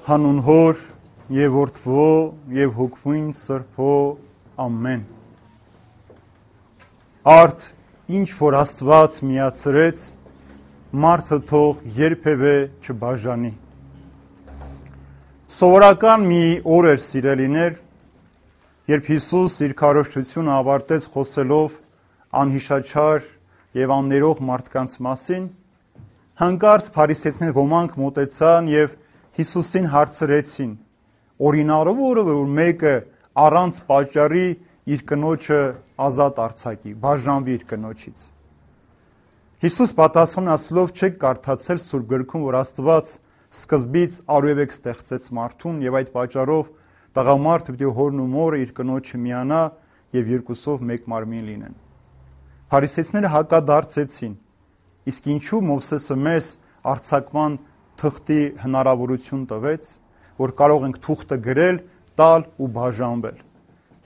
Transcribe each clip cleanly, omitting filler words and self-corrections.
Հանուն Հոր եւ Որդվո եւ Հոգվույն Սրբո ամեն։ Արդ ինչ որ Աստված միացրեց, մարդը թող երբևէ չբաժանի։ Սովորական մի օր էր, սիրելիներ, երբ Հիսուս իր քարոզչությունը ավարտեց խոսելով անհիշաչար եւ աններող մարդկանց մասին, հանկարծ փարիսեցիներ ոմանք մոտեցան եւ Հիսուսին հարցրեցին. օրինարով որը որ մեկը առանց պատճառի իր կնոջը ազատ արձակի, բաժանվի իր կնոջից։ Հիսուս պատասխան ասելով չեք կարդացել Սուրբ գրքում, որ Աստված սկզբից արևեք ստեղծեց մարդուն եւ այդ պատճառով տղամարդը պիտի հորն ու մորը իր կնոջը միանա եւ երկուսով մեկ մարմին լինեն։ Փարիսեցիները հակադարձեցին. իսկ ինչու Մովսեսը մեզ արձակման թղթի հնարավորություն տվեց, որ կարող ենք թուղթը գրել, տալ ու բաժանվել։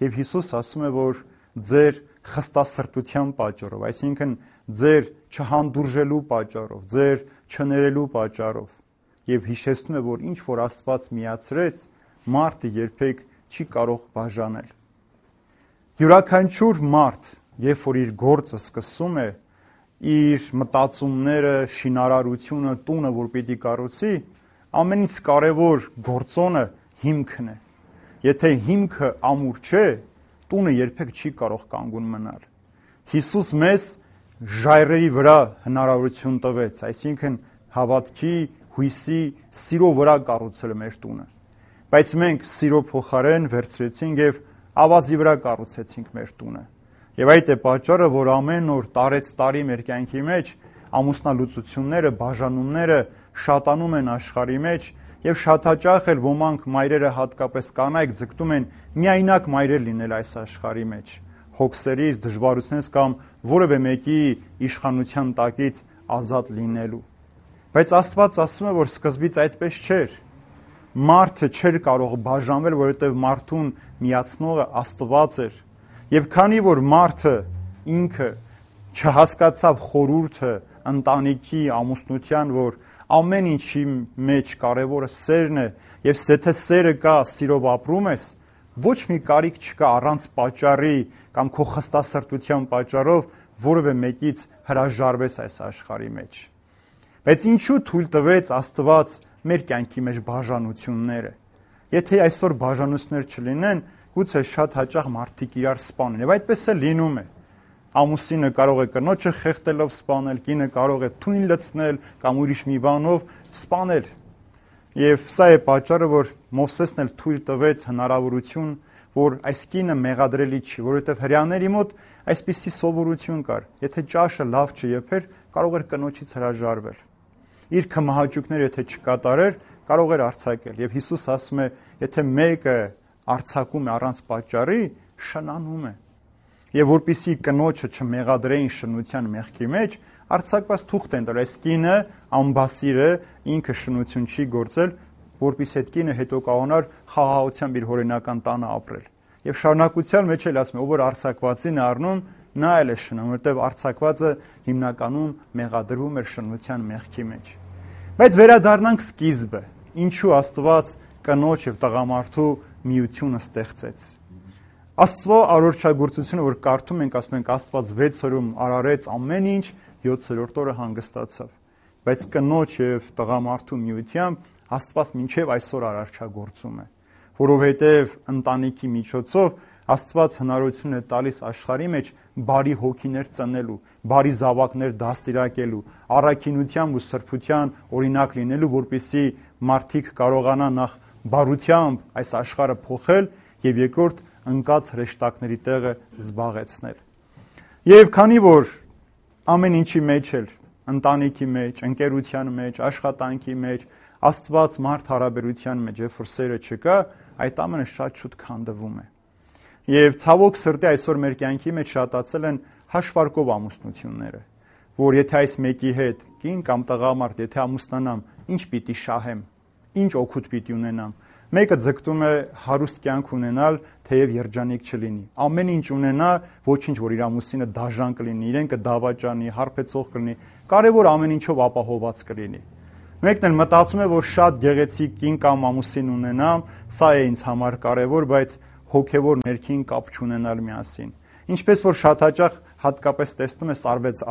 Եվ Հիսուս ասում է, որ ձեր խստասրտության պատճառով, այսինքն ձեր չհանդուրժելու պատճառով, ձեր չներելու պատճառով, եւ հիշեցնում է, որ ինչ որ Աստված միացրեց, մարդը երբեք չի կարող բաժանել։ Յուրաքանչյուր մարդ, երբ որ իր գործը սկսում է, իր մտածումները, շինարարությունը, տունը, որ պիտի կառուցի, ամենից կարևոր գործոնը հիմքն է։ Եթե հիմքը ամուր չէ, տունը երբեք չի կարող կանգուն մնալ։ Հիսուս մեզ ժայռերի վրա հնարավորություն տվեց, այսինքն հավատքի, հույսի, սիրո վրա կառուցել մեր տունը։ Բայց մենք սիրո փոխարեն վերցրեցինք եւ ավազի վրա կառուցեցինք մեր տունը։ Եվ այդ է պատճառը, որ ամեն օր տարեց տարի մեր կյանքի մեջ ամուսնալուծությունները, բաժանումները շատանում են աշխարհի մեջ եւ շատ հաճախ էլ ոմանք մայրերը հատկապես կանայք ձգտում են միայնակ մայրեր լինել այս աշխարհի մեջ, հոգսերից, դժվարությունից կամ որևէ մեկի իշխանության տակից ազատ լինելու։ Բայց Աստված ասում է, որ սկզբից այդպես չէր։ Մարդը չէր կարող բաժանվել, որովհետեւ մարդուն միացնողը Աստված էր։ Եվ քանի որ մարդը ինքը չհասկացավ խորհուրդը ընտանիքի, ամուսնության, որ ամեն ինչի մեջ կարևորը սերն է, եւ եթե սերը կա, սիրով ապրում ես, ոչ մի կարիք չկա առանց պատճառի կամ քո խստասրտության պատճառով որևէ մեկից հրաժարվես այս աշխարհի մեջ։ Բայց ինչու թույլ տվեց Աստված մեր կյանքի մեջ բաժանությունները։ Եթե այսօր բաժանություններ չլինեն, գուցե շատ հաճախ մարդիկ իրար սպանեն, եւ այդպես է լինում է։ Ամուսինը կարող է կնոջը խեղդելով սպանել, կինը կարող է թույն լցնել կամ ուրիշ մի բանով սպանել։ Եվ սա է պատճառը, որ Մովսեսն էլ թույլ տվեց հնարավորություն, որ այս կինը մեղադրելի չի, որովհետեւ հрьяաների մոտ այսպիսի սովորություն կար. եթե ճաշը լավ չեփեր, կարող էր կնոջից հրաժարվել։ Իր քմահաճույքները եթե չկատարեր, կարող էր արձակել։ Եվ Հիսուս ասում է, եթե մեկը արձակում է առանց պատճառի, շնանում է։ Եվ որպիսի կնոջը չմեղադրեին շնության մեղքի մեջ, արձակված թուղթ են տալ, այս կինը ամբասիրը ինքը շնություն չի գործել, որպիսի այդ կինը հետո կարողանար խաղաղությամբ իր հորինական տանը ապրել։ Եվ շարունակության մեջ էլ ասում է, ով որ արձակվածին առնում, նա էլ է շնում, որտեղ արձակվածը հիմնականում մեղադրվում էր շնության մեղքի մեջ։ Բայց վերադառնանք սկիզբը, ինչու Աստված կնոջ եւ տղամարդու միությունը ստեղծեց։ Աստծո արարչագործությունը, որ կարդում ենք, ասում ենք Աստված 6 օրում արարեց ամեն ինչ, 7-րդ օրը հանգստացավ։ Բայց կնոջ եւ տղամարդու միությամբ Աստված մինչեւ այսօր արարչագործում է, որովհետեւ ընտանիքի միջոցով Աստված հնարավորություն է տալիս աշխարհի մեջ բարի հոգիներ ծնելու, բարի զավակներ դաստիարակելու, առաքինությամբ ու սրբության օրինակ լինելու, որպեսզի մարդիկ կարողանան նախ բարությամբ այս աշխարհը փոխել եւ երկրորդ ընկած հրեշտակների տեղը զբաղեցնել։ Եվ քանի որ ամեն ինչի մեջ էլ ընտանիքի մեջ, ընկերության մեջ, աշխատանքի մեջ, Աստված մարդ հարաբերության մեջ, երբ որ սերը չկա, այդ ամենը շատ շուտ քանդվում է։ Եվ ցավոք սրտի այսօր մեր կյանքի մեջ շատացել են հաշվարկով ամուսնությունները, որ եթե այս մեկի հետ կին կամ տղամարդ, եթե ամուսնանամ, ինչ պիտի շահեմ, ինչ օգուտ պիտի ունենամ։ Մեկը ձգտում է հարուստ կյանք ունենալ, թեև երջանիկ չլինի։ Ամեն ինչ ունենա, ոչինչ որ իր ամուսինը դաժան կլինի, իրեն կդավաճանի, հարբեցող կլինի, կարևոր ամեն ինչով ապահոված կլինի։ Մեկն էլ մտածում է, որ շատ գեղեցիկ կին կամ ամուսին ունենամ, սա է ինձ համար կարևոր, բայց հոգևոր ներքին կապ չունենալ միասին։ Ինչպես որ շատ հաճախ հատկապես տեսնում ես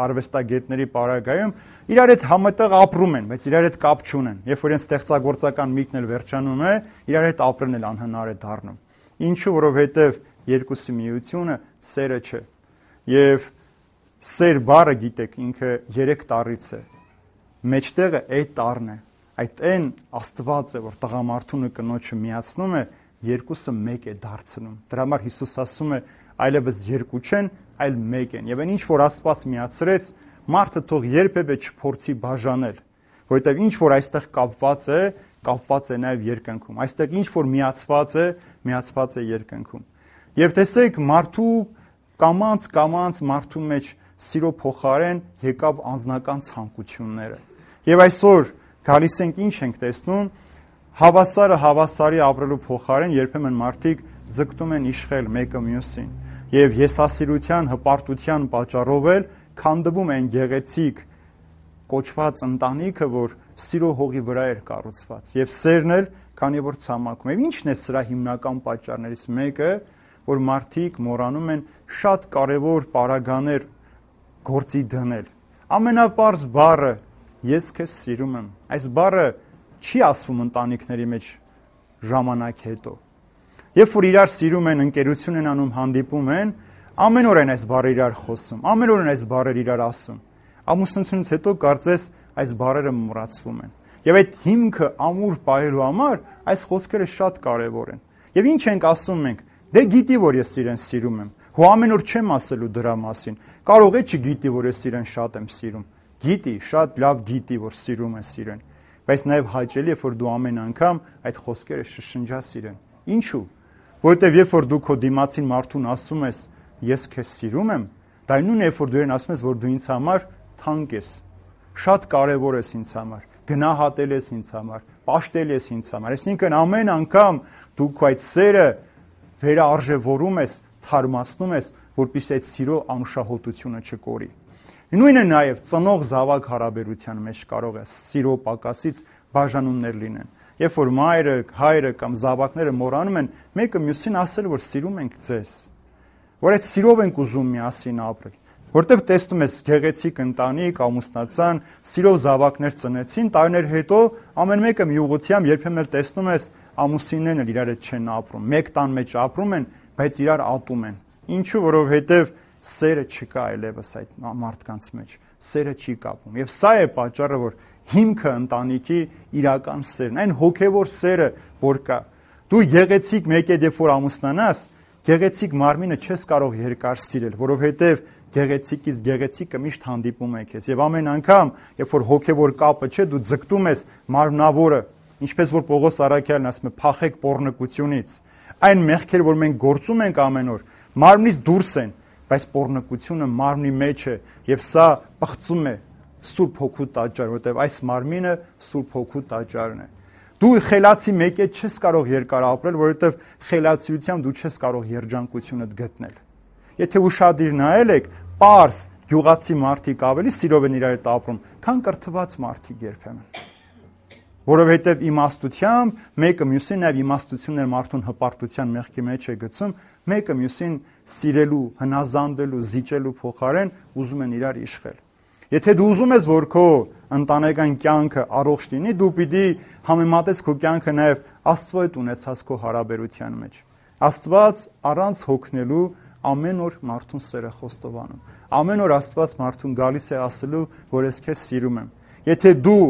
արվեստագետների պարագայում, իրար հետ համատեղ ապրում են, բայց իրար հետ կապ չունեն։ Երբ որ իրենց ստեղծագործական միտքն էլ վերջանում է, իրար հետ ապրելն էլ անհնար է դառնում։ Ինչու, որովհետև երկուսի միությունը սերը չէ։ Եվ սեր բառը, գիտեք, ինքը 3 տառից է։ Մեջտեղը այդ տառն է։ Այդ այն Աստված է, որ տղամարդունը կնոջը միացնում է, երկուսը մեկ է դարձնում։ Դրա համար Հիսուս ասում է, այլևս երկու չեն, այլ մեկ են։ Եվ այն ինչ որ Աստված միացրեց, մարդը թող երբևէ չփորձի բաժանել, որովհետև ինչ որ այստեղ կապված է նաև երկնքում։ Այստեղ ինչ որ միացված է երկնքում։ Եվ տեսեք, մարդու կամած մարդու մեջ սիրո փոխարեն եկավ անձնական ցանկությունները։ Եվ այսօր գալիս ենք ինչ ենք տեսնում, հավասարը հավասարի ապրելու փոխարեն երբեմն մարդիկ ձգտում են իշխել մեկը մյուսին։ Եվ եսասիրության, հպարտության պատճառով էլ քանդվում են գեղեցիկ կոչված ընտանիքը, որ սիրո հողի վրա էր կառուցված։ Եվ սերն էլ, քանի որ ցամաքում։ Եվ ի՞նչն է սրա հիմնական պատճառներից մեկը, որ մարդիկ մոռանում են շատ կարևոր պարագաներ գործի դնել։ Ամենապարզ բառը ես քեզ սիրում եմ։ Այս բառը չի ասվում ընտանիքների մեջ ժամանակ հետո։ Երբ որ իրար սիրում են, ընկերություն են անում, հանդիպում են, ամեն օր են այս բառերը իրար խոսում, ամեն օր են այս բառերը իրար ասում։ Ամուսնությունից հետո կարծես այս բառերը մոռացվում են։ Եվ այդ հիմքը ամուր պահելու համար այս խոսքերը շատ կարևոր են։ Եվ ինչ ենք ասում մենք. դե գիտի, որ ես իրեն սիրում եմ։ Հո ամեն օր չեմ ասելու դրա մասին։ Կարող է չգիտի, որ ես իրեն շատ եմ սիրում։ Գիտի, շատ լավ գիտի, որ սիրում ես իրեն։ Բայց նաև հաճելի է, որ դու ամեն անգամ այդ խոսքերը շշնջաս իրեն։ Ինչու՞։ Որովհետև երբ որ դու քո դիմացին մարդուն ասում ես, ես քեզ սիրում եմ, դա նույնն է, երբ որ դու իրեն ասում ես, որ դու ինձ համար թանկ ես, շատ կարևոր ես ինձ համար, գնահատել ես ինձ համար, պաշտել ես ինձ համար։ Այսինքն ամեն անգամ դու քո այդ սերը վերարժևորում ես, թարմացնում ես, որպեսզի այդ սիրո անուշահոտությունը չկորի։ Նույնը նաև ծնող զավակ հարաբերության մեջ կարող է սիրո պակասից բաժանումներ լինեն։ Երբ որ մայրը, հայրը կամ զավակները մոռանում են մեկը մյուսին ասել, որ սիրում ենք ձեզ, որ այդ սիրով ենք ուզում միասին ապրել, որտեղ տեսնում ես գեղեցիկ ընտանիք, ամուսնացան, սիրով զավակներ ծնեցին, տարիներ հետո ամեն մեկը մի ուղղությամբ երբեմն տեսնում ես ամուսիններն էլ իրար հետ չեն ապրում, մեկ տան մեջ ապրում են, բայց իրար ատում են։ Ինչու, որովհետև սերը չկա այլևս այդ մարդկանց մեջ, սերը չի կապում։ Եվ սա է պատճառը, որ հիմքը ընտանիքի իրական սերն, այն հոգևոր սերը, որ կա։ Դու գեղեցիկ մեկ երբ որ ամուսնանաս, գեղեցիկ մարմինը չես կարող երկար սիրել, որովհետև գեղեցիկից գեղեցիկը միշտ հանդիպում է քեզ։ Եվ ամեն անգամ, երբ որ հոգևոր կապը չէ, դու ձգտում ես մարմնավորը, ինչպես որ Պողոս Առաքյալն ասում է, փախեք պոռնկությունից։ Այն մեղքեր, որ մենք գործում ենք ամեն օր, մարմնից դուրս են, բայց պոռնկությունը մարմնի մեջ է, եւ սա պղծում է Սուրբ Հոգու տաճար, որտեղ այս մարմինը Սուրբ Հոգու տաճարն է։ Դու խելացի մեկ է չես կարող երկար ապրել, որովհետև խելացիությամբ դու չես կարող երջանկությունդ գտնել։ Եթե ուշադիր նայել եք, պարզ գյուղացի մարդիկ ավելի սիրով են իրար հետ ապրում, քան կրթված մարդիկ երբեմն։ Որովհետև իմաստությամբ մեկը մյուսին նաև իմաստություններ մարդուն հպարտության մեղքի մեջ է գցում, մեկը մյուսին սիրելու, հնազանդվելու, զիջելու փոխարեն ուզում են իրար իշխել։ Եթե դու ուզում ես, որ քո ընտանեկան կյանքը առողջ լինի, դու պիտի համեմատես քո կյանքը նաև Աստծո հետ ունեցած քո հարաբերության մեջ։ Աստված առանց հոգնելու ամեն օր մարդուն սեր է խոստովանում։ Ամեն օր Աստված մարդուն գալիս է ասելու, որ ես քեզ սիրում եմ։ Եթե դու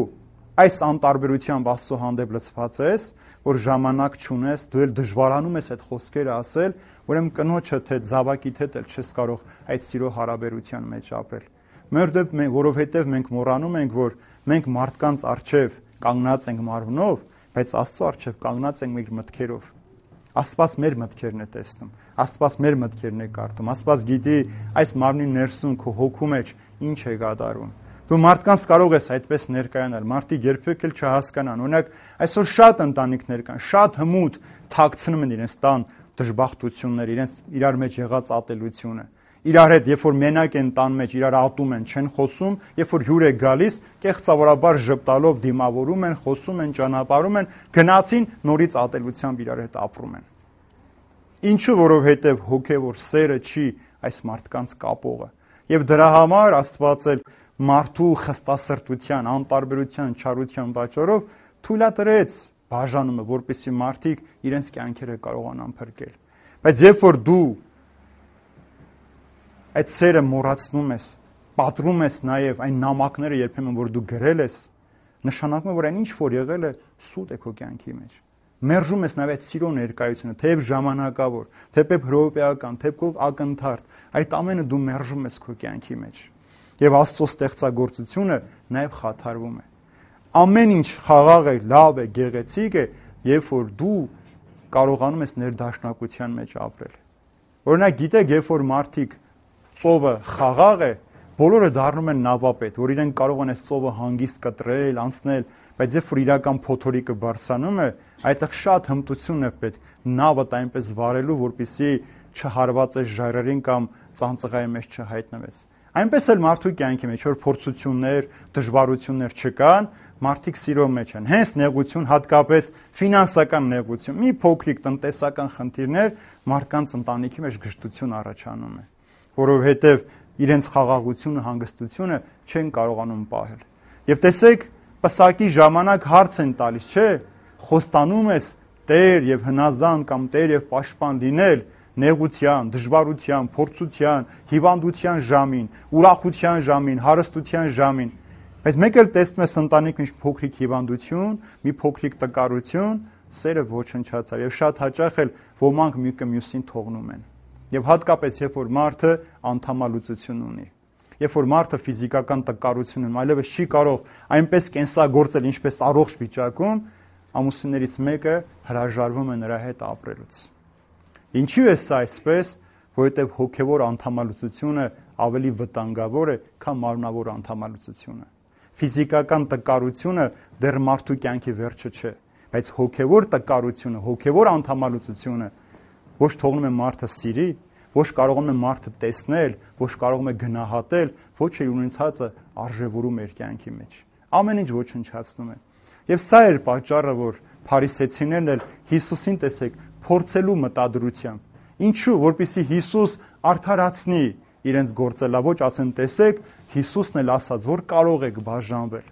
այս անտարբերությամբ Աստծո հանդեպ լցված ես, որ ժամանակ չունես, դու էլ դժվարանում ես այդ խոսքերը ասել, ուրեմն կնոջդ հետ, զավակիդ հետ էլ չես կարող այդ սիրո հարաբերության մեջ ապրել։ Որովհետև մենք մոռանում ենք, որ մենք մարդկանց առջև կանգնած ենք մարմնով, բայց Աստծո առջև կանգնած ենք մեր մտքերով։ Աստված մեր մտքերն է տեսնում, Աստված մեր մտքերն է կարդում, Աստված գիտի այս մարմնի ներսում քո հոգու մեջ ինչ է կատարվում։ Դու մարդկանց կարող ես այդպես ներկայանալ, մարդիկ երբեք էլ չհասկանան։ Օրինակ, այսօր շատ ընտանիքներ կան, շատ հմուտ թաքցնում են իրենց տան դժբախտությունները, իրենց իրար մեջ եղած ատելությունը։ իրար հետ, երբ որ մենակ են տան մեջ, իրար ատում են, չեն խոսում, երբ որ հյուր է գալիս, կեղծավորաբար ժպտալով դիմավորում են, խոսում են, ճանապարհում են, գնացին, նորից ատելությամբ իրար հետ ապրում են։ Ինչու, որովհետև հոգևոր սերը չի այս մարդկանց կապողը։ Եվ դրա համար Աստված էլ մարդու խստասրտության, անտարբերության, չարության պատճառով թույլատրեց բաժանումը, որպեսզի մարդիկ իրենց կյանքերը կարողանան փրկել։ Բայց երբ որ դու այդ սերը մոռացնում ես, պատռում ես նաև այն նամակները երբեմն որ դու գրել ես, նշանակում է որ այն ինչ որ եղել է սուտ է քո կյանքի մեջ։ Մերժում ես նաև այդ սիրո ներկայությունը, թեև ժամանակավոր, թեև հրոպեական, թեև քո ակնթարթ, այդ ամենը դու մերժում ես քո կյանքի մեջ։ Եվ Աստծո ստեղծագործությունը նաև խաթարվում է։ Ամեն ինչ խաղաղ է, լավ է, գեղեցիկ է, երբ որ դու կարողանում ես ներդաշնակության մեջ ապրել։ Օրինակ գիտեք, երբ որ մարդիկ ծովը խաղաղ է, բոլորը դառնում են նավապետ, որ իրենք կարող են այս ծովը հանգիստ կտրել, անցնել, բայց երբ որ իրական փոթորիկը բարձրանում է, այդտեղ շատ հմտություն է պետք նավը այնպես վարելու, որպեսզի չհարվածես ժայռերին կամ ծանծղայի մեջ չհայտնվես։ Այնպես էլ մարդու կյանքի մեջ որ փորձություններ, դժվարություններ չկան, մարդիկ սիրո մեջ են։ Հենց նեղություն, հատկապես ֆինանսական նեղություն, մի փոքրիկ տնտեսական խնդիրներ մարդկանց ընտանիքի մեջ գժտություն առաջանում է, որովհետև իրենց խաղաղությունը, հանգստությունը չեն կարողանում պահել։ Եվ տեսեք, պսակի ժամանակ հարց են տալիս, չէ՞, խոստանում ես Տեր եւ հնազանդ կամ Տեր եւ պաշտպան լինել նեղության, դժվարության, փորձության, հիվանդության ժամին, ուրախության ժամին, հարստության ժամին։ Բայց մեկ էլ տեսնում ես ընտանիքում ինչ փոքրիկ հիվանդություն, մի փոքրիկ տկարություն, սերը ոչնչացավ եւ շատ հաճախ էլ ոմանք մեկը մյուսին թողնում են։ Եվ հատկապես երբ որ մարդը անդամալուծություն ունի, երբ որ մարդը ֆիզիկական տկարություն ունի, այլևս չի կարող այնպես կենսագործել, ինչպես առողջ վիճակում, ամուսիններից մեկը հրաժարվում է նրա հետ ապրելուց։ Ինչու է սա այսպես, որովհետև հոգևոր անդամալուծությունը ավելի վտանգավոր է, քան մարմնավոր անդամալուծությունը։ Ֆիզիկական տկարությունը դեռ մարդու կյանքի վերջը չէ, բայց հոգևոր տկարությունը, հոգևոր անդամալուծությունը ոչ թողնում է մարդը սիրի, ոչ կարողանում է մարդը տեսնել, ոչ կարողում է գնահատել, ոչ էլ ունեցածը արժևորում իր կյանքի մեջ։ Ամեն ինչ ոչնչացնում է։ Եվ սա էր պատճառը, որ փարիսեցիներն էլ Հիսուսին տեսեք փորձելու մտադրությամբ։ Ինչու, որպեսզի Հիսուս արդարացնի իրենց գործելավոճ, ասեն, տեսեք, Հիսուսն էլ ասաց, որ կարող եք բաժանվել։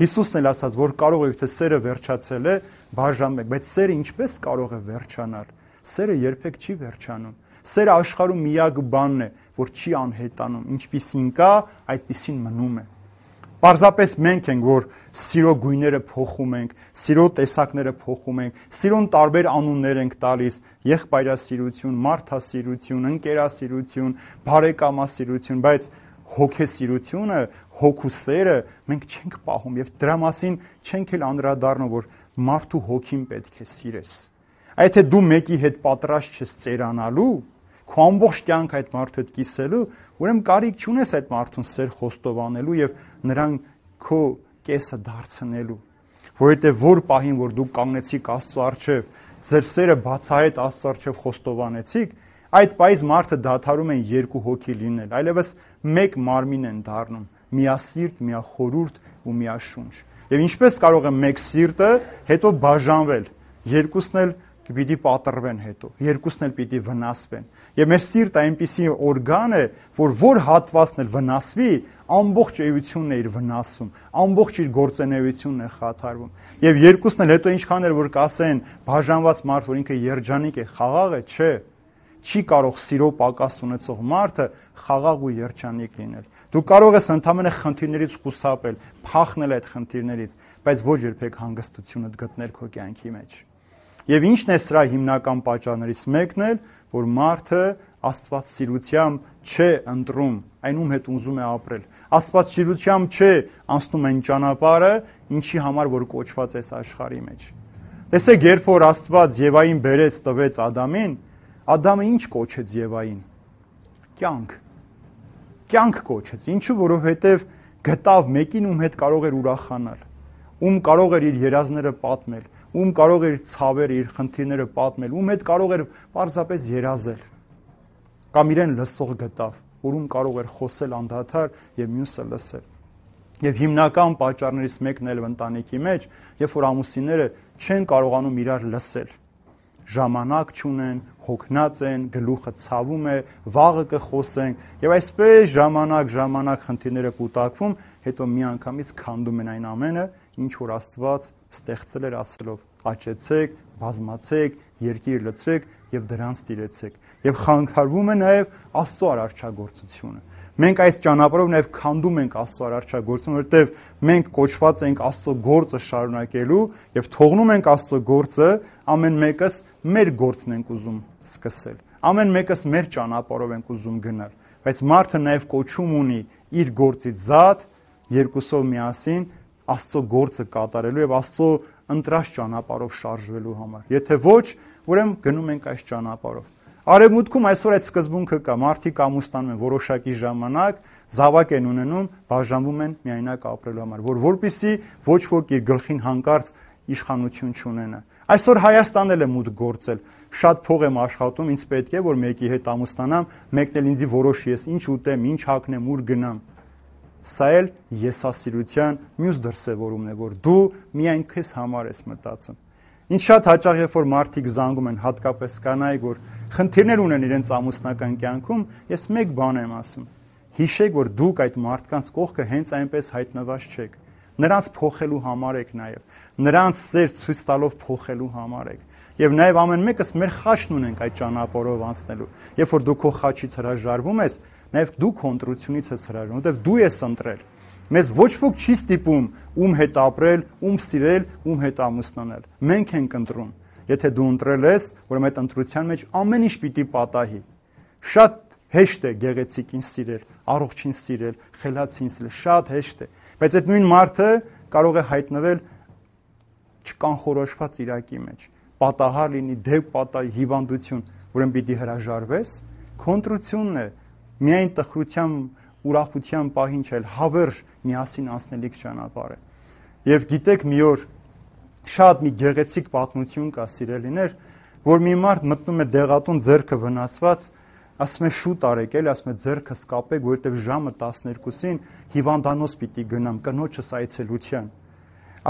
Հիսուսն էլ ասաց, որ կարող եք, թե սերը վերջացել է, բաժանեք, բայց սերը ինչպես կարող է վերջանալ։ Սերը երբեք չի վերջանում։ Սերը աշխարհում միակ բանն է, որ չի անհետանում, ինչպիսին կա, այդպիսին մնում է։ Պարզապես մենք ենք, որ սիրո գույները փոխում ենք, սիրո տեսակները փոխում ենք, սիրուն տարբեր անուններ ենք տալիս՝ եղբայրասիրություն, մարդասիրություն, ընկերասիրություն, բարեկամասիրություն, բայց հոգեսիրությունը, հոգու սերը մենք չենք պահում եւ դրա մասին չենք էլ անդրադառնում, որ մարդու հոգին պետք է սիրես։ Այդ թե դու մեկի հետ պատրաստ ես ծերանալու, քո ամբողջ կյանք այդ մարդու հետ կիսելու, ուրեմն կարիք չունես այդ մարդուն սեր խոստովանելու եւ նրան քո կեսը դարձնելու, որովհետեւ որ պահին որ դու կանգնեցիք Աստծո առջև, ձեր սերը բացահայտ Աստծո առջև խոստովանեցիք, այդ պահից մարդը դադարում են երկու հոգի լինել, այլևս մեկ մարմին են դառնում, միասիրտ, միախորուրդ ու միաշունչ։ Եվ ինչպես կարող է մեկ սիրտը հետո բաժանվել, երկուսն էլ պիտի պատռվեն հետո, երկուսն էլ պիտի վնասվեն։ Եվ մեր սիրտը այնպիսի օրգան է, որ հատվածն էլ վնասվի, ամբողջ էությունն է իր վնասվում, ամբողջ իր գործունեությունն է խաթարվում։ Եվ երկուսն էլ հետո ինչքան էլ որ կասեն բաժանված մարդ, որ ինքը երջանիկ է, խաղաղ է, չէ։ Չի կարող սիրո պակաս ունեցող մարդը խաղաղ ու երջանիկ լինել։ Դու կարող ես ընդհանրապես խնդիրներից խուսափել, փախնել այդ խնդիրներից, բայց ոչ երբեք հանգստությունդ գտնել քո կյանքի մեջ։ Եվ ինչն է սրա հիմնական պատճառներից մեկն էլ, որ մարդը աստվածասիրությամբ չէ ընտրում այն ում հետ ուզում է ապրել։ Աստվածասիրությամբ չէ անցնում այն ճանապարհը, ինչի համար որ կոչված է աշխարհի մեջ։ Տեսեք, երբ որ Աստված Եվային բերեց տվեց Ադամին, Ադամը ինչ կոչեց Եվային։ Կյանք։ Կյանք կոչեց։ Ինչու, որովհետև գտավ մեկին, ում հետ կարող էր ուրախանալ, ում կարող էր իր երազները պատմել, ում կարող էր ցավերը, իր խնդիրները պատմել, ում հետ կարող էր պարզապես երազել։ կամ իրեն լսող գտավ, որում կարող էր խոսել անդադար եւ մյուսը լսել։ Եվ հիմնական պատճառներից մեկն էլ ընտանիքի մեջ, երբ որ ամուսինները չեն կարողանում իրար լսել, ժամանակ չունեն, հոգնած են, գլուխը ցավում է, վաղը կխոսենք, եւ այսպես ժամանակ խնդիրները կուտակվում, հետո միանգամից քանդում են այն ամենը, ինչ որ Աստված ստեղծել էր ասելով. աճեցեք, բազմացեք, երկիր լցրեք եւ դրանց տիրեցեք։ Եվ խանգարվում է նաեւ Աստծո արարչագործությունը։ Մենք այս ճանապարհով նաև քանդում ենք Աստծո արարչագործությունը, որովհետև մենք կոչված ենք Աստծո գործը շարունակելու եւ թողնում ենք Աստծո գործը, ամեն մեկս մեր գործն ենք ուզում սկսել։ Ամեն մեկս մեր ճանապարհով ենք ուզում գնալ, բայց մարդը նաև կոչում ունի իր գործից զատ երկուսով միասին Աստծո գործը կատարելու եւ Աստծո ընտրած ճանապարհով շարժվելու համար։ Եթե ոչ, ուրեմն գնում ենք այս ճանապարհով։ Արևմուտքում այսօր այդ սկզբունքը կա, մարդիկ ամուսնանում են որոշակի ժամանակ, զավակ են ունենում, բաժանվում են միայնակ ապրելու համար, որպեսզի ոչ ոք իր գլխին հանկարծ իշխանություն չունենա։ Այսօր Հայաստանն էլ է մուտք գործել, շատ փող եմ աշխատում, ինձ պետք է որ մեկի հետ ամուսնանամ, մեկն էլ ինձ որոշի ես ինչ ուտեմ, ինչ հագնեմ, ուր գնամ։ Սա էլ եսասիրության մյուս դրսևորումն է, որ դու միայն քեզ համար ես մտածում։ Ինչ շատ հաճախ երբ որ մարդիկ զանգում են, հատկապես կանայք, որ խնդիրներ ունեն իրենց ամուսնական կյանքում, ես մեկ բան եմ ասում. հիշեք, որ դուք այդ մարդկանց կողքը հենց այնպես հայտնված չեք։ Նրանց փոխելու համար եք նաև, նրանց սեր ցույց տալով փոխելու համար եք։ Եվ նաև ամեն մեկս մեր խաչն ունենք այդ ճանապարհով անցնելու։ Երբ որ դու քո խաչից հրաժարվում ես, նաև դու քո ընտրությունից ես հրաժարվում, որովհետև դու ես ընտրել։ Մեզ ոչ ոք չի ստիպում ում հետ ապրել, ում սիրել, ում հետ ամուսնանալ։ Մենք ենք ընտրում։ Եթե դու ընտրել ես, ուրեմն այդ ընտրության մեջ ամեն ինչ պիտի պատահի։ Շատ հեշտ է գեղեցիկին սիրել, առողջին սիրել, խելացին սիրել, շատ հեշտ է։ Բայց այդ նույն մարդը կարող է հայտնվել չկանխորոշված իրակի մեջ։ Պատահար լինի, դեպ պատահի, հիվանդություն, ուրեմն պիտի հրաժարվես, քո ընտրությունն է։ Միայն տխրության ուրախության պահին չէ, հավերժ միասին անցնելիք ճանապարհ է։ Եվ գիտեք, մի օր շատ մի գեղեցիկ պատմություն կա, սիրելիներ, որ մի մարդ մտնում է դեղատուն, ձեռքը վնասված, ասում է շուտ արեք, էլի ասում է ձեռքս կապեք, որովհետև ժամը 12-ին հիվանդանոց պիտի գնամ կնոջս այցելության։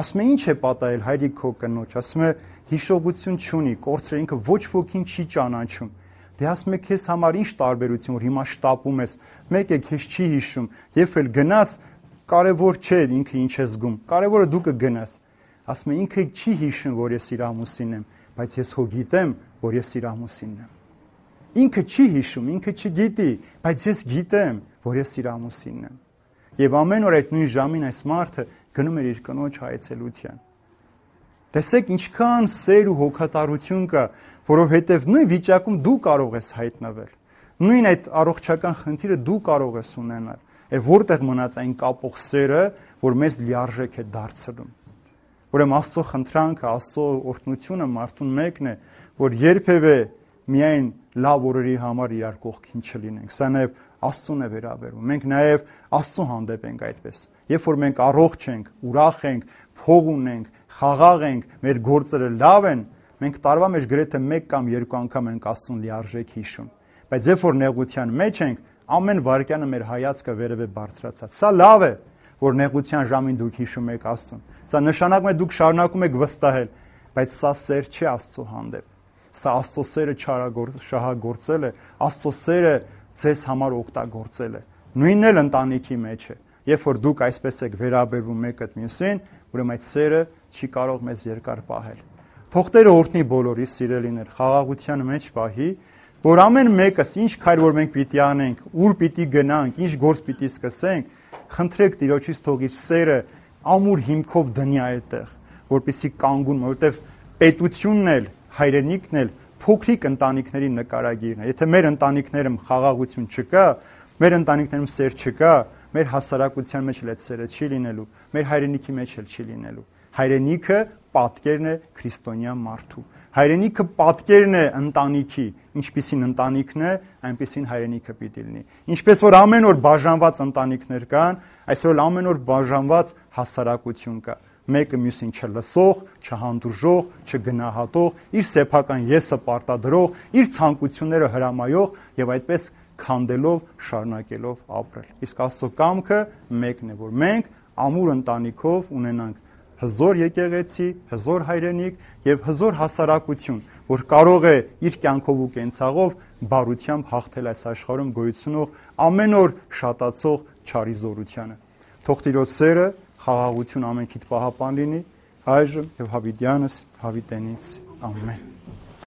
Ասում է ինչ է պատահել հայրիկ քո կնոջ, ասում է հիշողություն չունի, կորցրել, ինքը ոչ ոքին չի ճանաչում։ Դե ասում է քեզ համար ինչ տարբերություն, որ հիմա շտապում ես, մեկ է քեզ չի հիշում, երբ էլ գնաս, կարևոր չէ ինքը ինչ է զգում, կարևորը դու կգնաս։ Ասում է ինքը չի հիշում, որ ես իր ամուսինն եմ, բայց ես հո գիտեմ, որ ես իր ամուսինն եմ։ Ինքը չի հիշում, ինքը չգիտի, բայց ես գիտեմ, որ ես իր ամուսինն եմ։ Եվ ամեն օր այդ նույն ժամին այս մարդը գնում էր իր կնոջ այցելության։ Տեսեք ինչքան սեր ու հոգատարություն կա, որովհետև նույն վիճակում դու կարող ես հայտնվել։ Նույն այդ առողջական խնդիրը դու կարող ես ունենալ։ Եվ որտեղ մնաց այն կապող սերը, որ մեզ լիարժեք է դարձնում։ Ուրեմն Աստծո խնդրանքը, Աստծո օրհնությունը մարդուն մեկն է, որ երբևէ միայն լավ օրերի համար իրար կողքին չլինենք։ Սա նաև Աստծուն է վերաբերում։ Մենք նաև Աստծո հանդեպ ենք այդպես։ Երբ որ մենք առողջ ենք, ուրախ ենք, փող ունենք, խաղաղ ենք, մեր գործերը լավ են, մենք տարվա մեջ գրեթե 1 կամ 2 անգամ ենք Աստծուն լիարժեք հիշում։ Բայց երբ որ նեղության մեջ ենք, ամեն վայրկյանը մեր հայացքը վերև է բարձրացած։ Սա լավ է, որ նեղության ժամին դուք հիշում եք Աստծուն։ Սա նշանակում է դուք շարունակում եք վստահել, բայց սա սեր չէ Աստծո հանդեպ։ Սա Աստծո սերը շահագործել է, Աստծո սերը ձեզ համար օգտագործել է։ Նույնն էլ ընտանիքի մեջ է։ Երբ որ դուք այսպես եք վերաբերվում մեկը մյուսին, ուրեմն այդ սերը չի կարող մեզ երկար պահել։ Թող Տերը օրհնի բոլորի սիրելիներ, խաղաղության մեջ պահի, որ ամեն մեկս ինչ քայլ որ մենք պիտի անենք, ուր պիտի գնանք, ինչ գործ պիտի սկսենք, խնդրեք Տիրոջից թող իր սերը ամուր հիմքով դնի այդտեղ, որպեսզի կանգուն, որովհետև պետությունն էլ, հայրենիքն էլ փոքրիկ ընտանիքների նկարագիրն է։ Եթե մեր ընտանիքներում խաղաղություն չկա, մեր ընտանիքներում սեր չկա, մեր հասարակության մեջ էլ այդ սերը չի լինելու, մեր հայրենիքի մեջ էլ չի լինելու։ Հայրենիքը պատկերն է քրիստոնյա մարդու։ Հայրենիքը պատկերն է ընտանիքի, ինչպիսին ընտանիքն է, այնպիսին հայրենիքը պիտի լինի։ Ինչպես որ ամեն օր բաժանված ընտանիքներ կան, այսօր ամեն օր բաժանված հասարակություն կա։ մեկը մյուսին չլսող, չհանդուրժող, չգնահատող, իր սեփական եսը պարտադրող, իր ցանկությունները հրամայող եւ այդպես քանդելով, շարունակելով ապրել։ Իսկ Աստծո կամքը մեկն է, որ մենք ամուր ընտանիքով ունենանք հզոր եկեղեցի, հզոր հայրենիք եւ հզոր հասարակություն, որ կարող է իր կյանքով ու կենցաղով բարությամբ հաղթել այս աշխարհում գոյությունող ամեն օր շատացող չարի զորությանը։ Թող Տիրոջ սերը, խաղաղություն ամենքիդ պահապան լինի, այժմ եւ հավիտյանս հավիտենից ամեն։